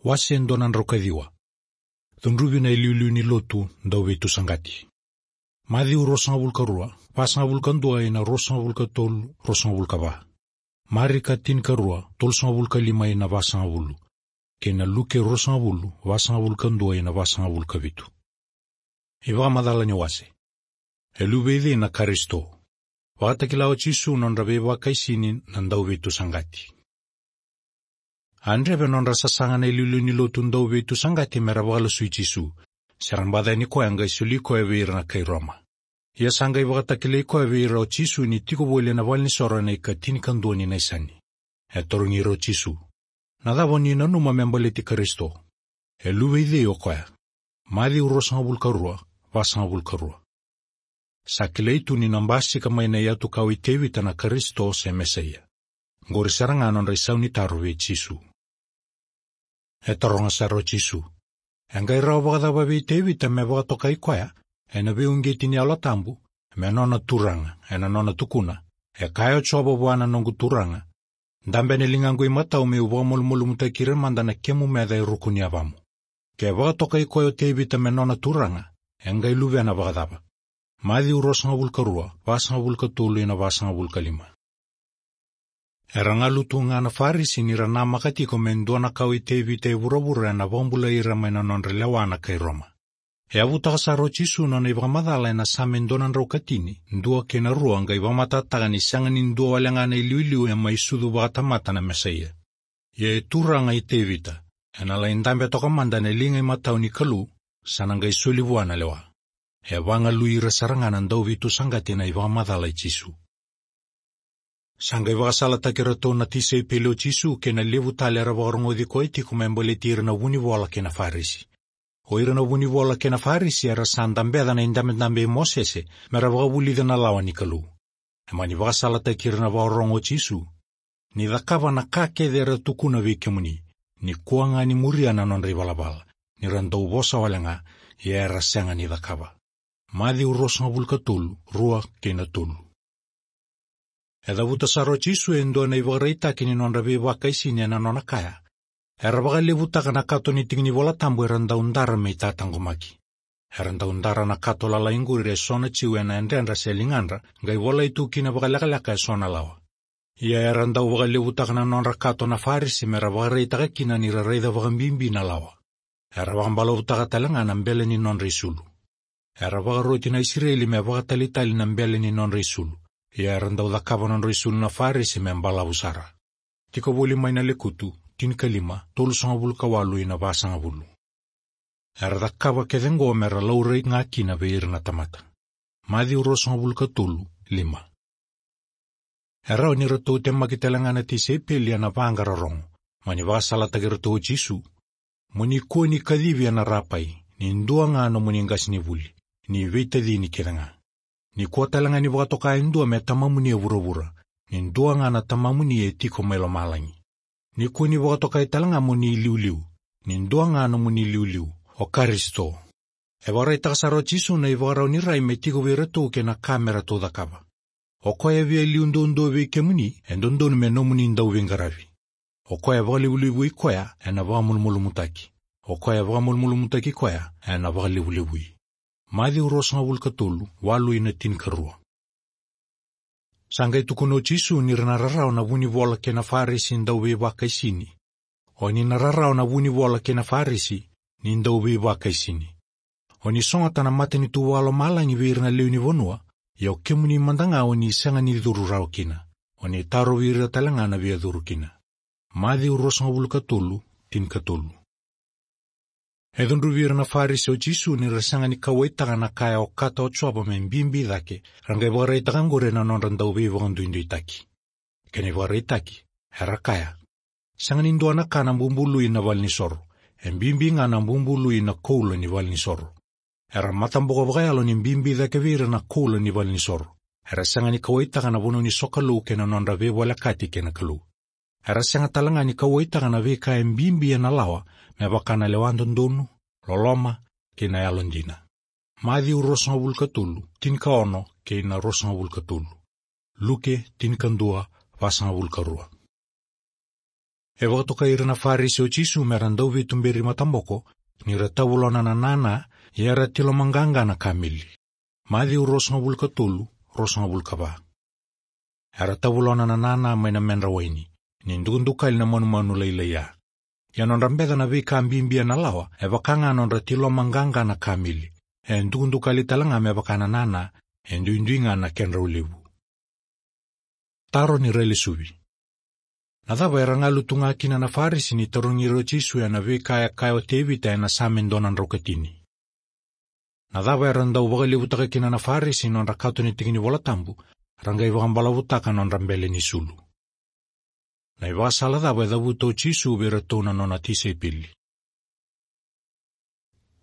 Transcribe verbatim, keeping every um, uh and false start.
Wase e dua na drau ka ciwa. Cudruvi na iliuliu ni lotu dauveitusaqa. Maciu ruasagavulu ka rua, vasagavulu ka dua ina ruasagavulu ka tolu, ruasagavulu ka va. Marika tinikarua, tolusagavulu ka lima ina vasagavulu. Kei na Luke ruasagavulu, vasagavulu ka dua ina vasagavulu ka vitu. Ivakamacala ni wase. E luve i cei na Karisito? Vakatakila o Jisu nodra veivakaisini na dauveitusaqa. A dreve nodra sasaga na iliuliu ni lotu dauveitusaqa mera vakalasui Jisu, se ra baca yani koya qai soli koya vei ira na kai Roma. Ia sa qai vakatakilai koya vei ira o Jisu ni tiko voli ena valenisoro ena ikatinikadua ni Naisani. E tarogi ira o Jisu: Na cava oni nanuma me baleti Karisito? E luve i cei o koya? Maciu ruasagavulu ka rua, vasagavulu ka rua. Sa kilai tu ni na basika mai na iyatukawa i Tevita na Karisito se Mesaia. Qori sara ga nodra isau ni taro vei Jisu. E taroga sara o Jisu: E qai rawa vakacava vei Tevita me vakatokai koya ena veiuqeti ni Yalo Tabu me nona Turaga, ena nona tukuna: E kaya o Jiova vua na noqu Turaga: Dabe ena ligaqu imatau me'u vakamalumalumutaki ira mada na kemu meca e ruku ni yavamu. Ke vakatokai koya o Tevita me nona Turaga, e qai luvena vakacava? Maciu ruasagavulu ka rua, vasagavulu ka tolu ina vasagavulu ka lima. Era galu tu ga na Farisi ni ra namaka tiko me dua na kawa i Tevita e vuravura ena vakabulai ira mai na nodra lewa na kai Roma. E yavutaka sara o Jisu nona ivakamacala ena Same dua na drau ka tini, dua kei na rua, qai vakamatatataka ni sega ni dua wale ga na iliuliu e mai sucu vakatamata na Mesaia. Ia e Turaga i Tevita, ena lai dabe toka mada ena liga imatau ni Kalou, sa na qai soli vua na lewa. E vagalui ira sara ga na dauveitusaqa na ivakamacala i Jisu. Sa qai vakasalataki iratou na tisaipeli o Jisu kei na levu tale era vakarogoci koya tiko me baleti ira na vunivola kei na Farisi. O ira na vunivola kei na Farisi era sa dabeca na idabedabe i Mosese mera vakavulica na lawa ni Kalou. E mani vakasalataki ira na vakarorogo o Jisu: Ni cakava na ka kece era tukuna vei kemuni, ni kua ga ni muria na nodra ivalavala, ni ra dau vosa wale ga, ia era sega ni cakava. Maciu ruasagavulu ka tolu, rua kei na tolu. E cavuta sara o Jisu e dua na ivakaraitaki ni nodra veivakaisini ena nona kaya: Era vakalevutaka na kato ni tiki ni Vola Tabu era dau dara me itataqomaki. Era dau dara na kato lalai qori e so na Jiu ena yadredra se ligadra, qai volai tu kina vakalekaleka e so na lawa. Ia era dau vakalevutaka na nodra kato na Farisi mera vakaraitaka kina ni ra raica vakabibi na lawa. Era vakabalavutaka tale ga na bele ni nodra isulu. Era vakaroti na Isireli me vakatalitali na bele ni nodra isulu. Ia era dau cakava nodra isulu na Farisi me balavu sara. Tiko voli mai na Lekutu tinikalima, tolusagavulu ka walu ina vasagavulu. Era cakava kece qo mera laurai ga kina vei ira na tamata. Maciu ruasagavulu ka tolu, lima. E rawa ni ratou temaki tale ga na tisaipeli ena vaqara rogo. Mani vakasalataki iratou o Jisu: Mo ni kua ni kacivi ena Rapai, ni dua ga nomuni qasenivuli, ni veitacini kece ga. Ni kua tale ga ni vakatoka e dua me tamamuni e vuravura, ni dua ga na Tamamuni e tiko mai lomalagi. Ni kua ni vakatokai tale ga mo ni iliuliu, ni dua ga nomuni iliuliu, o Karisito. E vakaraitaka sara o Jisu na ivakarau ni rai me tiko vei iratou kei na ka me ratou cakava. O koya e via liu duadua vei kemuni, e dodonu me nomuni dauveiqaravi. O koya e vakalevulevui koya, ena vakamalumalumutaki. O koya e vakamalumalumutaki koya, ena vakalevulevui. Maciu ruasagavulu ka tolu, walu ina tinikarua. Sa qai tukuna o Jisu ni ra na rarawa na vunivola kei na Farisi dauveivakaisini. O ni na rarawa na vunivola kei na Farisi, ni dauveivakaisini. O ni sogota na matanitu vakalomalagi vei ira na lewe ni vanua, ia o kemuni mada ga o ni sega ni curu rawa kina. O ni tarovi ira tale ga na via curu kina. Maciu ruasagavulu ka tolu, tinikatolu. E cudruvi ira na Farisi o Jisu ni ra sega ni kauwaitaka na ka e okata o Jiova me bibi cake, ra qai vakaraitaka qori ena nodra dauveivakaduiduitaki. Kena ivakaraitaki, era kaya: Sega ni dua na ka na bubului na valenisoro, e bibi ga na bubului na koula ni valenisoro. Era mataboko vakayalo ni bibi cake vei ira na koula ni valenisoro. Era sega ni kauwaitaka na vanua ni sokalou kei na nodra veivolekati kei na Kalou. Era sega tale ga ni kauwaitaka na veika e bibi ena lawa, me vaka na lewa dodonu, loloma, kei na yalodina. Maciu ruasagavulu ka tolu, tinikaono kei na ruasagavulu ka tolu. Luke tinikadua, vasagavulu ka rua. E vakatokai ira na Farisi o Jisu me ra dau veituberi mataboko, ni ra tavulona na nana, ia era tiloma qaqa na kameli. Maciu ruasagavulu ka tolu, ruasagavulu ka va. Era tavulona na nana mai na medra waini, ni dukadukali na manumanu lailai ya. Ia nodra beca na veika bibi ena lawa, e vaka ga nodra tiloma qaqa na kameli. E dukadukali tale ga me vaka na nana, e duidui ga na kedrau levu. Taro ni railesuvi. Na cava era galu tu ga kina na Farisi ni tarogi ira o Jisu ena veika e kaya o Tevita ena Same dua na drau ka tini? Na cava era dau vakalevutaka kina na Farisi nodra kato ni tiki ni Vola Tabu, ra qai vakabalavutaka nodra bele ni sulu? Na ivakasala cava e cavuta o Jisu vei iratou na nona tisaipeli?